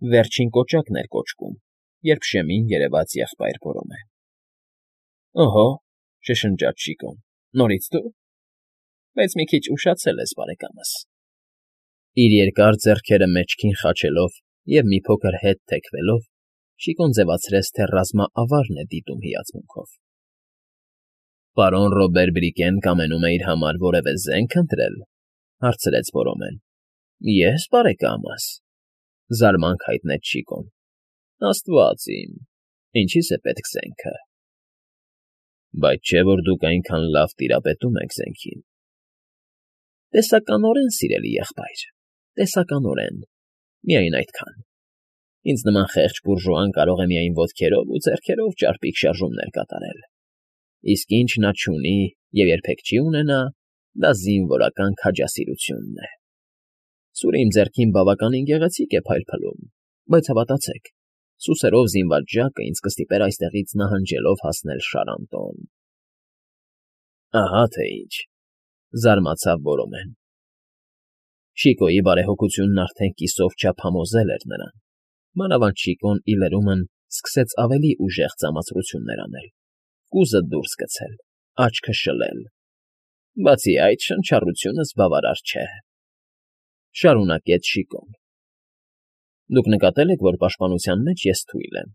Վերջին կոճակն էր կոճկում, երբ շեմին երևաց եղբայր Բորոմեն։ ֊ Օհո,֊ շշնջաց Շիկոն,֊ նորից դու… Բայց մի քիչ ուշացել ես, բարեկամս… Իր երկար ձեռքերը մեջքին խաչելով և մի փոքր հետ թեքվելով՝ Շիկոն ձևացրեց, թե ռազմաավարն է դիտում հիացմունքով։ ֊ Պարոն Ռոբեր Բրիկեն կամենում է իր համար որևէ զենք ընտրել,֊ հարցրեց Բորոմեն։ ֊ Ես, բարեկամս…֊ զարմանք հայտնեց Շիկոն։ ֊ Աստված իմ… Ինչի՞ս է պետք զենքը… Բայց չէ՞ որ դուք այնքան լավ տիրապետում եք զենքին… ֊ Տեսականորեն, սիրելի եղբայր, տեսականորեն, միայն այդքան… Ինձ նման խեղճ բուրժուան կարող է միայն ոտքերով ու ձեռքերով ճարպիկ շարժումներ կատարել, իսկ ինչ նա չունի և երբեք չի ունենա, դա զինվորական քաջասիրությունն է… Սուրը իմ ձեռքին բավականին գեղեցիկ է փայլփլում, բայց հավատացեք, սուսերով զինված ժակը ինձ կստիպեր այստեղից նահանջելով հասնել Շարանտոն… ֊ Ահա թե ինչ,֊ զարմացավ Բորոմեն։ Շիկոյի բարեհոգությունն արդեն կիսով չափ համոզել էր նրան, մանավանդ Շիկոն, ի լրումն, սկսեց ավելի ուժեղ ծամացրություններ անել, կուզը դուրս գցել, աչքը շլել… Բացի այդ, շնչառությունս բավարար չէ…֊ շարունակեց Շիկոն։ ֊ Դուք նկատել եք, որ պաշտպանության մեջ ես թույլ եմ…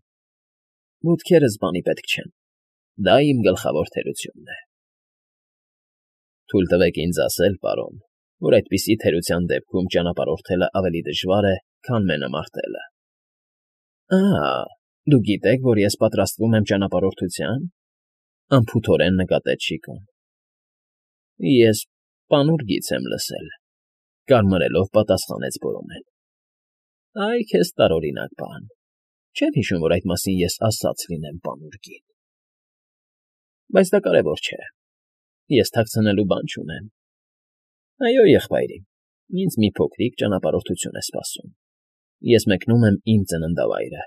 Ոտքերս բանի պետք չեն, դա իմ գլխավոր թերությունն է… Թույլ տվեք ինձ ասել, պարոն, որ այդպիսի թերության դեպքում ճանապարհորդելն ավելի դժվար է, քան մենամարտելը… Ա՜, դուք գիտեք, որ ես պատրաստվում եմ ճանապարհորդության,֊ անփութորեն նկատեց Շիկոն։ ֊ Ես պանուրջից եմ լսել,֊ կարմրելով պատասխանեց Բորոմեն։ ֊ Այ քեզ տարօրինակ բան… Չեմ հիշում, որ այդ մասին ես ասած լինեմ պանուրջին… Բայց դա կարևոր չէ… Ես թաքցնելու բան չունեմ… Այո, եղբայրիկ, ինձ մի փոքրիկ ճանապարհորդություն է սպասում… Ես մեկնում եմ իմ ծննդավայրը,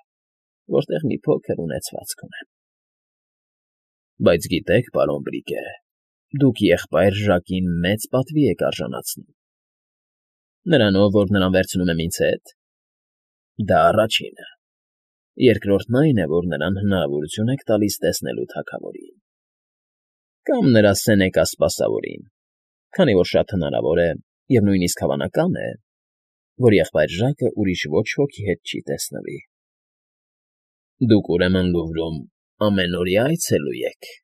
որտեղ մի փոքր ունեցվածք ունեմ… Բայց գիտեք, պարոն Բրիկե, դուք եղբայր Ժակին մեծ պատվի եք արժանացնում… Նրանով, որ նրան վերցնում եմ ինձ հետ… Դա առաջինը… Երկրորդն այն է, որ նրան հնարավորություն եք տալիս տեսնելու թագավորին… Կամ նրա սենեկա սպասավորին, քանի որ շատ հնարավոր է և նույնիսկ հավանական է, որ եղբայր Ժակը ուրիշ ոչ ոքի հետ չի տեսնվի… Դուք, ուրեմն, Լուվրում ամենօրյա այցելու եք…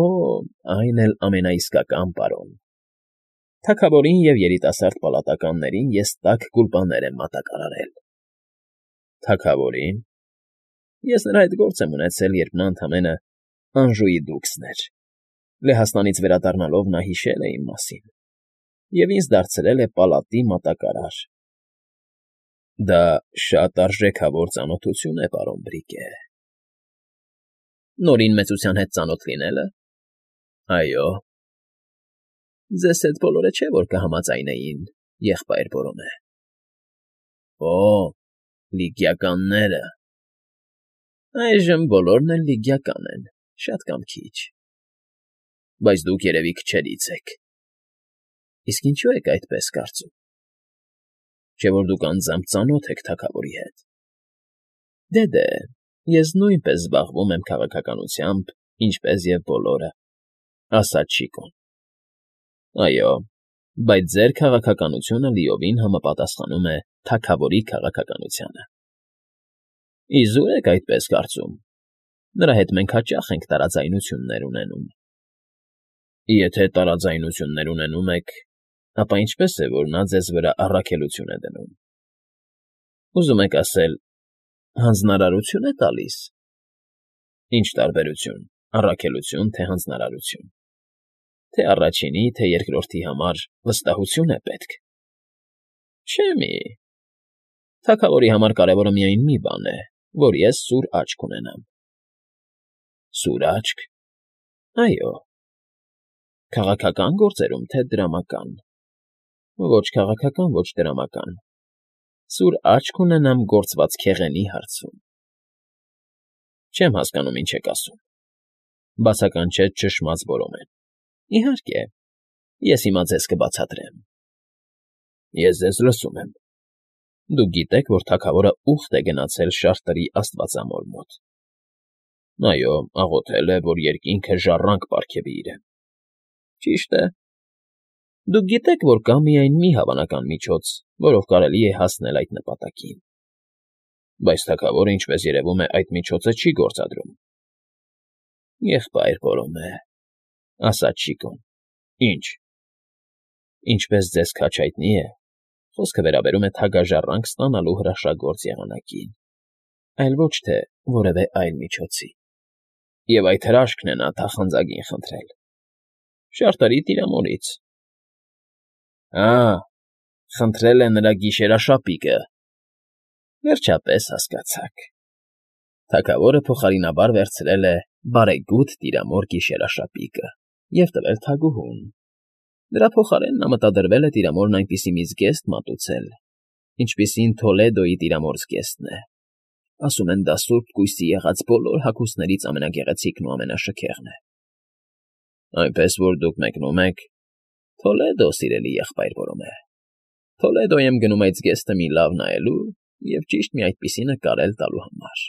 Օ, այն էլ ամենաիսկական, պարոն… Թագավորին և երիտասարդ պալատականներին ես տաք գուլպաներ եմ մատակարարել… Թագավորի՞ն… Ես նրա հետ գործ եմ ունեցել, երբ նա ընդամենը Անժուի դուքսն էր… Լեհաստանից վերադառնալով նա հիշել է իմ մասին և ինձ դարձրել է պալատի մատակարար… Դա շատ արժեքավոր ծանոթություն է, պարոն Բրիկե… Նորին մեծության հետ ծանոթ լինելը… Այո… Ձեզ հետ բոլորը չէ՞ որ կհամաձայնեին, եղբայր Բորոմե… Օ, լիգիականները… Այժմ բոլորն էլ լիգիական են, շատ կամ քիչ… Բայց դուք, երևի, քչերից եք… Իսկ ինչո՞ւ եք այդպես կարծում… Չէ՞ որ դուք անձամբ ծանոթ եք թագավորի հետ… Դե, ես նույնպես զբաղվում եմ քաղաքականությամբ, ինչպես և բոլորը…֊ ասաց Շիկոն։ ֊ Այո, բայց ձեր քաղաքականությունը լիովին համապատասխանում է թագավորի քաղաքականությանը… Իզուր եք այդպես կարծում… Նրա հետ մենք հաճախ ենք տարաձայնություններ ունենում… Եթե տարաձայնություններ ունենում եք, ապա ինչպե՞ս է, որ նա ձեզ վրա առաքելություն է դնում… Ուզում եք ասել, հանձնարարությո՞ւն է տալիս… Ինչ տարբերություն՝ առաքելությո՞ւն, թե հանձնարարություն… Թե առաջինի, թե երկրորդի համար վստահություն է պետք… Չէ՞ մի… Թագավորի համար կարևորը միայն մի բան է, որ ես սուր աչք ունենամ… Սուր աչք… Այո… Քաղաքակա՞ն գործերում, թե դրամական… Ոչ քաղաքական, ոչ դրամական… Սուր աչք ունենամ գործված քեղենի հարցում… Չեմ հասկանում, ինչ եք ասում… Բացականչեց ճշմաց Բորոմեն։ ֊ Իհարկե, ես հիմա ձեզ կբացատրեմ… Ես ձեզ լսում եմ… Դուք գիտեք, որ թագավորը ուխտ է գնացել Շարտրի աստվածամոր մոտ։ Այո, աղոթել է, որ երկինքը ժառանգ պարգևի իրեն։ Ճիշտ է։ Դուք գիտեք, որ կա միայն մի հավանական միջոց, որով կարելի է հասնել այդ նպատակին։ Բայց թագավորը, ինչպես երևում է, այդ միջոցը չի գործադրում։ Եղբայր Բորոմե, ասաց Շիկոն։ Ինչ։ Ինչպես ձեզ քաչ հայտնի է, խոսքը վերաբերում է թագաժառանգ ստանալու հրաշագործ եղանակին, այլ ոչ թե որևէ այլ միջոցի։ Եվ այդ հրաշքն է նա թախանձագին խնդրել։ Շարտրի տիրամորից։ Խնդրել է նրա գիշերաշապիկը։ Վերջապես հասկացաք։ Թագավորը փոխարինաբար վերցրել է բարեգութ տիրամոր գիշերաշապիկը և տվել թագուհուն։ Դրա փոխարեն նա մտադրվել է տիրամորն այնպիսի մի զգեստ մատուցել, ինչպիսին Թոլեդոյի տիրամոր զգեստն է։ Ասում են, դա սուրբ կույսի եղած բոլոր հագուստներից ամենագեղեցիկն ու ամենաշքեղն է։ Այնպես որ դուք մեկնում եք Թոլեդո, սիրելի եղբայր Բորոմե։ Թոլեդո եմ գնում այդ զգեստը մի լավ նայելու և ճիշտ մի այդպիսի նկարել տալու համար։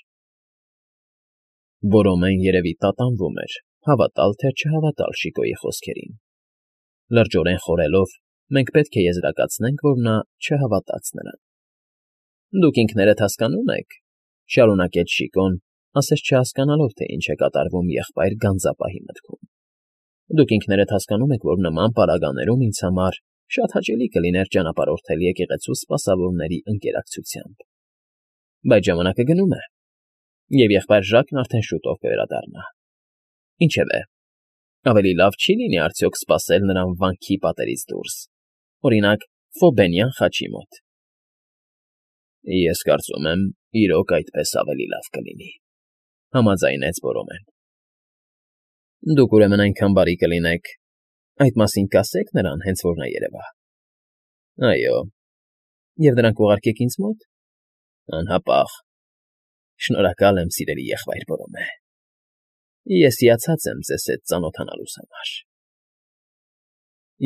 Բորոմեն երևի տատանվում էր, հավատալ թե չհավատալ Շիկոյի խոսքերին։ Լրջորեն խորելով, մենք պետք է եզրակացնենք, որ նա չհավատաց նրան։ Դուք ինքներդ հասկանում եք, շարունակեց Շիկոն, ասես չհասկանալով, թե ինչ է կատարվում եղբայր գանձապահի մտքում։ Դուք ինքներդ հասկանում եք, որ նման պարագաներում ինձ համար շատ հաճելի կլիներ ճանապարհորդել եկեղեցու սպասավորների ընկերակցությամբ։ Բայց ժամանակը գնում է, և եղբայր Ժակն արդեն շուտով կվերադառնա։ Ինչևէ, ավելի լավ չի լինի արդյոք սպասել նրան վանքի պատերից դուրս, օրինակ, Ֆոբենյան խաչի մոտ։ Ես կարծում եմ, իրոք այդպես ավելի լավ կլինի, համաձայնեց Բորոմեն։ Դուք ուրեմն այնքան բարի կլինեք, այդ մասին կասեք նրան, հենց որ նա երևա։ Այո, և դրանք ուղարկեք ինձ մոտ։ Անհապաղ։ Շնորհակալ եմ, սիրելի եղբայր Բորոմե։ Ես հիացած եմ ձեզ հետ ծանոթանալուս համար։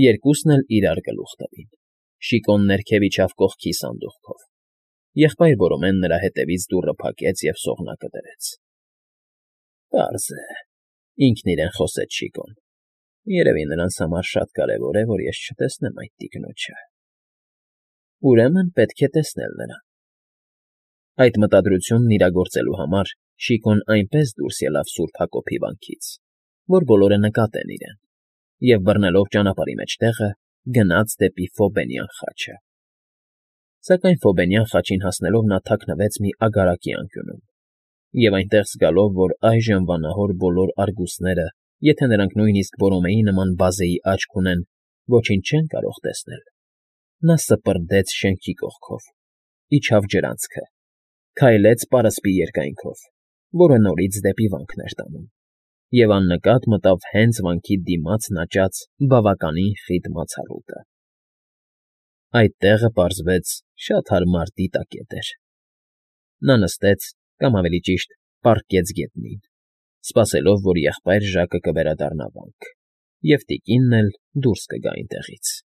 Երկուսն էլ իրար գլուխ տվին։ Շիկոն ներքև իջավ կողքի սանդուղքով։ Եղբայր Բորոմեն նրա հետևից դուռը փակեց և սողնակը դրեց։ Պարզ է, ինքն իրեն խոսեց Շիկոն։ Երևի նրանց համար շատ կարևոր է, որ ես չտեսնեմ այդ տիկնոջը։ Ուրեմն պետք է տեսնել նրան։ Այդ մտադրությունն իրագործելու համար Շիկոն այնպես դուրս ելավ Սուրբ Հակոբի վանքից, որ բոլորը նկատեն իրեն, և բռնելով ճանապարհի մեջտեղը, գնաց դեպի Ֆոբենյան խաչը։ Սակայն Ֆոբենյան խաչին հասնելով նա թաքնվեց մի ագարակի անկյունում, և այնտեղ զգալով, որ այժմ վանահոր բոլոր արգուսները, եթե նրանք նույնիսկ Բորոմեի նման բազեի աչք ունեն, ոչինչ չեն կարող տեսնել, նա սպրդեց շենքի կողքով, իջավ ջրանցքը, քայլեց պարսպի երկայնքով, որը նորից դեպի վանքն էր տանում, և աննկատ մտավ հենց վանքի դիմացն աճած բավականին խիտ մացառուտը։ Այդ տեղը, պարզվեց, շատ հարմար դիտակետ էր։ Նա նստեց, կամ ավելի ճիշտ, պառկեց գետնին, սպասելով, որ եղբայր Ժակը կվերադառնա վանք, և տիկինն էլ դուրս կգա այնտեղից։